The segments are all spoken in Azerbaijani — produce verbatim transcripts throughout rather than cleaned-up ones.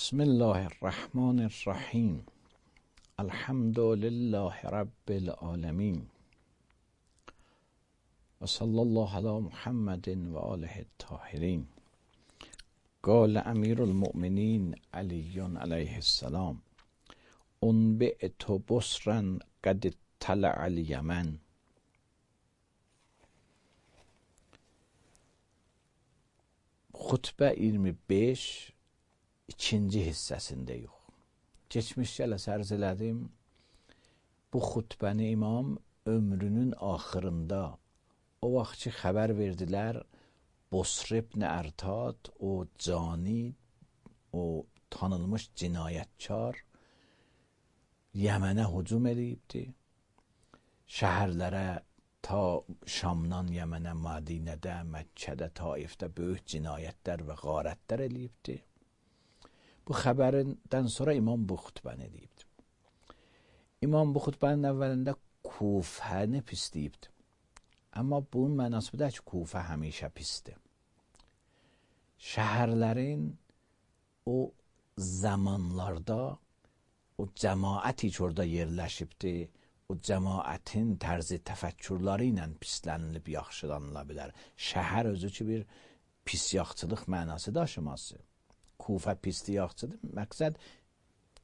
بسم الله الرحمن الرحیم. الحمد لله رب العالمین و صلی الله علی محمد و آله الطاهرین. قال امیر المؤمنین علی علیه السلام: انبئت بصرا قد اطلع الیمن. Xutbə iyirmi beş ikinci hissəsindəyik. Keçmiş gələ sərz elədim. Bu xutbəni imam ömrünün axırında o vaxt ki xəbər verdilər, Bosr ibn Ərtad, o cani, o tanınmış cinayətkar Yəmənə hücum eləyibdi. Şəhərlərə ta Şamdan Yəmənə, Mədinədə, Məkkədə, Taifdə böyük cinayətlər və qarətlər eləyibdi. Bu xəbərindən sonra imam bu xutbəni eləyibdi. İmam bu xutbənin əvvəlində Kufəni pisləyibdi. Amma bunun mənası bu da ki, Kufə həmişə pisdir. Şəhərlərin o zamanlarda o cəmaəti ki orada yerləşibdi, o cəmaətin tərzi təfəkkürləri ilə pislənilib yaxşılanıla bilər. Şəhər özü ki bir pis yaxçılıq mənası daşıması. Kufə pisli yaxçıdır. Məqsəd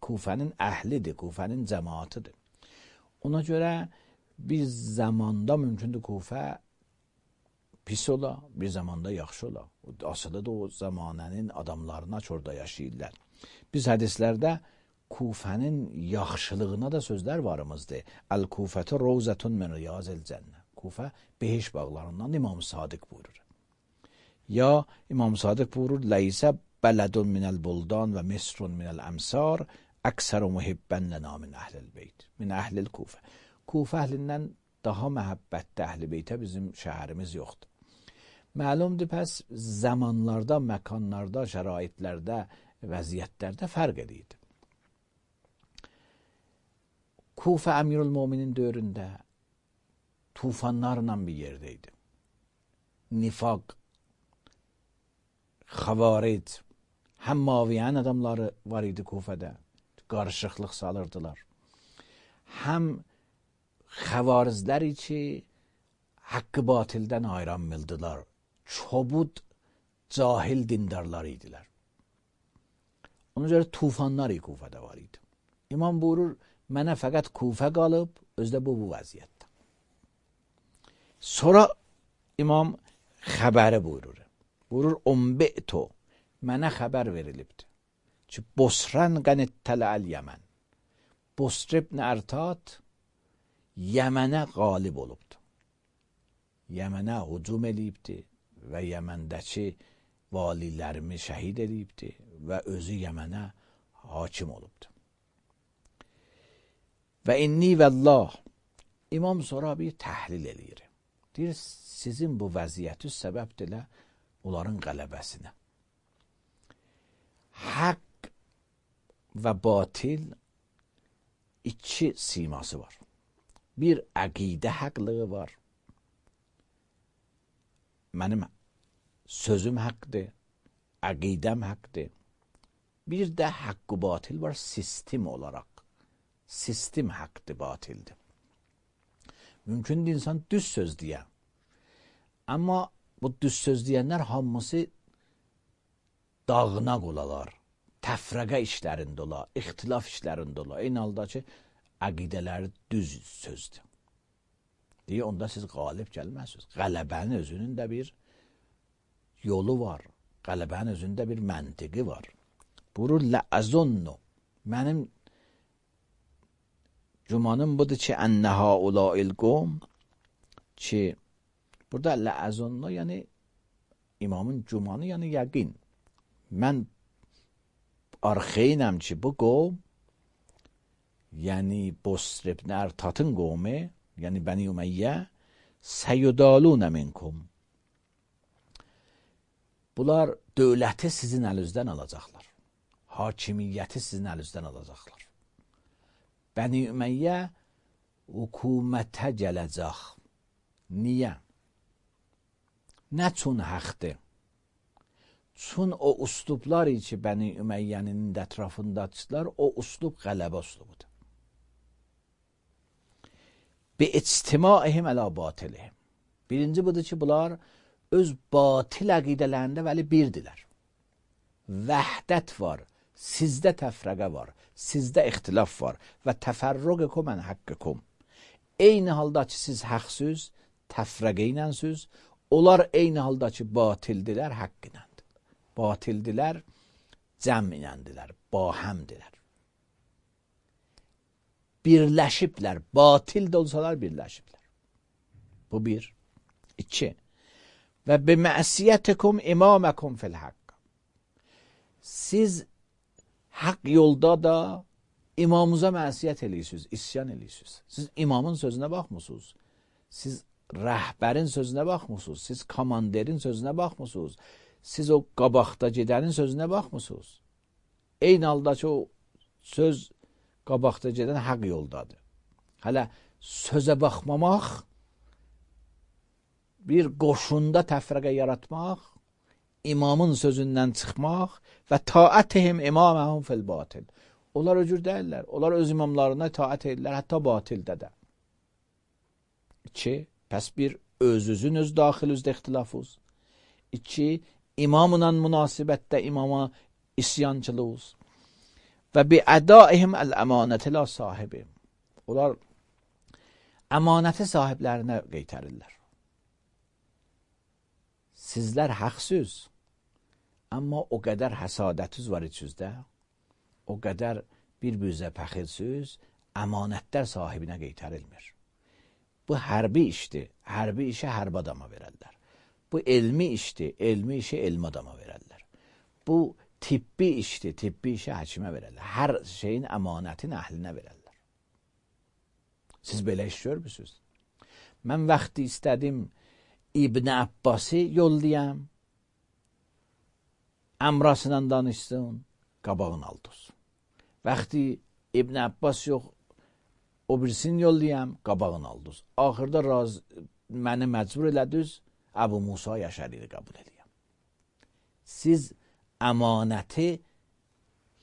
Kufənin əhlidir, Kufənin cəmaətidir. Ona görə bir zamanda mümkündür Kufə pis ola, bir zamanda yaxşı ola. Asılı da o zamanənin adamlarına ki orada yaşayırlar. Biz hədislərdə Kufənin yaxşılığına da sözlər varımızdır. Əl-Kufətü Rovzətun min Riyazil Cənnə. Kufə behiş bağlarından İmam Sadiq buyurur. Ya İmam Sadiq buyurur: Leysə bələdun minəl buldan və misrun minəl əmsar əksəru muhibbən lənə min əhlil beyt. Min əhlil Kufə. Kufə əhlindən daha məhəbbətli əhl-i beytə bizim şəhərimiz yoxdur. Məlumdur, pəs zamanlarda, məkanlarda, şəraitlərdə, vəziyyətlərdə fərq edirdi. Kufə Əmirül-Müminin dövründə tufanlarla bir yerdəydi. Nifaq, xavaric, həm maviyən adamları var idi Kufədə, qarışıqlıq salırdılar. Həm xəvarizləri ki, haqqı batildən ayıranmıldılar. Çobud, cahil dindarlar idilər. Ona görə tufanlar Kufədə var idi. İmam buyurur, mənə fəqət Kufə qalıb, özdə bu bu vəziyyətdə. Sonra imam xəbəri buyurur. Buyurur, unbi'tu, mənə xəbər verilibdir ki, Bosran qənittələl Yəmən. Bosr ibn Ərtad Yəmənə qalib olubdur. Yəmənə hücum eləyibdir və Yəməndəki valilərimi şəhid eləyibdir və özü Yəmənə hakim olubdur. Və inni vəllah, imam sonra bir təhlil eləyir. Deyir, sizin bu vəziyyəti səbəbdir onların qələbəsinə. Haqq və batil iki siması var. Bir əqidə haqlığı var. Mənim sözüm haqqdır, əqidəm haqqdır. Bir də haqqı batil var sistem olaraq. Sistem haqqdır, batildir. Mümkündür insan düz söz deyə. Amma bu düz söz deyənlər hamısı dağına qolalar, təfrəqə işlərində ola, ixtilaf işlərində ola. Eyni halda ki, əqidələri düz sözdür. Deyə onda siz qalib gəlməzsiniz. Qələbənin özünün də bir yolu var. Qələbənin özündə bir məntiqi var. Buyurur, ləəzunnu, mənim Cumanın budur ki, ənə haulail qom ki, burada ləəzunnu, yəni imamın cumanı, yəni yəqin. Mən arxeynəm ki, bu qom, yəni Bosr ibn Ərtadın qomu, yəni Bəni Ümeyyə, səyyudalunə minkum. Bunlar dövləti sizin əlinizdən alacaqlar. Hakimiyyəti sizin əlinizdən alacaqlar. Bəni Ümeyyə hökumətə gələcək. Niyə? Nə üçün haqdır? Çün o uslublar ki Bəni Üməyyənin ətrafındadılar, o uslub qələbə uslubudur. Bi ictimaihim əla batilihim. Birinci budur ki, bunlar öz batil əqidələrində vəli birdirlər. Vəhdət var, sizdə təfrəqə var, sizdə ixtilaf var və təfərrüqəkum ən haqqıkum. Eyni halda ki, siz haqsız, təfrəqə iləsiz, onlar eyni halda ki, batildilər, haqq iləndir. Batildilər, cəm iləndirlər, bahəmdirlər. Birləşiblər, batil də olsalar birləşiblər. Bu bir. İki. Və biməsiyyətikum imaməkum fil haqq. Siz haqq yolda da imamınıza mənsiyyət eləyirsiniz, isyan eləyirsiniz. Siz imamın sözünə baxmısınız. Siz rəhbərin sözünə baxmısınız. Siz komanderin sözünə baxmısınız. Siz o qabaqda gedənin sözünə baxmısınız. Eyni halda ki, o söz qabaqda gedən haqq yoldadır. Hələ sözə baxmamaq, bir qoşunda təfrəqə yaratmaq, imamın sözündən çıxmaq və taətihim imaməhum fil batil. Onlar öcür deyirlər. Onlar öz imamlarına taət edirlər, hətta batildə də. İki, pəs bir, özünüzün öz daxilizdə ixtilafınız. İki, imamla münasibətdə imama isyançılığınız. Və bi ədaihim əl-əmanəti la sahibim. Onlar əmanəti sahiblərinə qeytərirlər. Sizlər haqsız, amma o qədər həsadətiniz var içinizdə, o qədər bir-birinizə pəxilsiz, əmanətlər sahibinə qeytərilmir. Bu hərbi işdir, hərbi işə hərbi adama verərlər. Bu elmi işdir, elmi işi elmi adama verərlər. Bu tibbi işdir, tibbi işə həkimə verərlər. Hər şeyin əmanətin əhlinə verərlər. Siz belə iş görmüsünüz. Mən vaxtı istədim İbn Abbası yollayam, əmrasıyla danışsın, qabağını aldız. Vaxtı İbn Abbas yox, o birisini yollayam, qabağını aldız. Axırda raz, məni məcbur elədiniz, Əbu Musa Yaşəriyi qəbul edəyəm. Siz əmanəti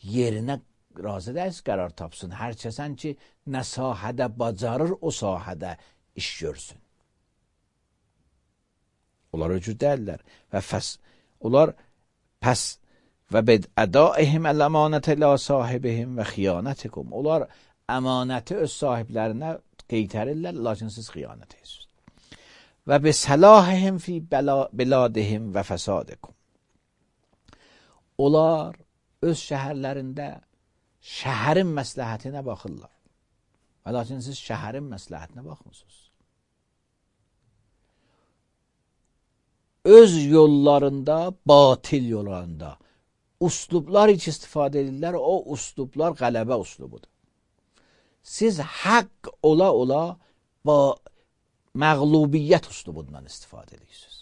yerinə razı dəyiz qərar tapsın. Hər kəsən ki, nə sahədə bacarır, o sahədə iş görsün. Onlar öcür deyirlər və fəs, onlar pəs və bəd ədaihim əl-əmanətə la sahibihim və xiyanətikum. Onlar əmanəti öz sahiblərinə qeytərirlər, lakin siz xiyanət edirsiniz. Və bi səlahihim fi biladihim və fəsadikum. Onlar öz şəhərlərində şəhərin məsləhətinə baxırlar. Və lakin siz şəhərin məsləhətinə baxmırsınız. Öz yollarında, batil yollarında uslublar hiç istifadə edirlər, o uslublar qələbə uslubudur. Siz haqq ola ola ba məğlubiyyət uslubundan istifadə edirsiniz.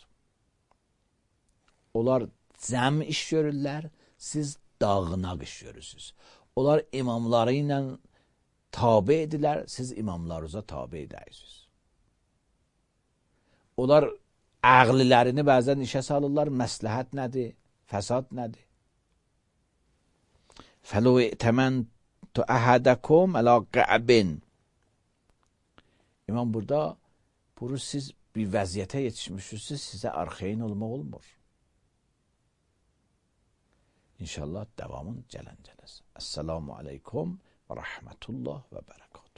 Onlar cəm iş görürlər, siz dağınaq iş görürsünüz. Onlar imamları ilə tabi edirlər, siz imamlarınıza tabi edirsiniz. Onlar əqlilərini bəzən işə salırlar, məsləhət nədir, fəsad nədir? Fəlu i'təməntu əhədəkum ələ qəbin. İmam burada, bunu siz bir vəziyyətə yetişmişsiniz, sizə arxeyin olmaq olmur. İnşallah devamın gələn cələsi. Esselamu aleykum və rəhmətullah və bərəkət.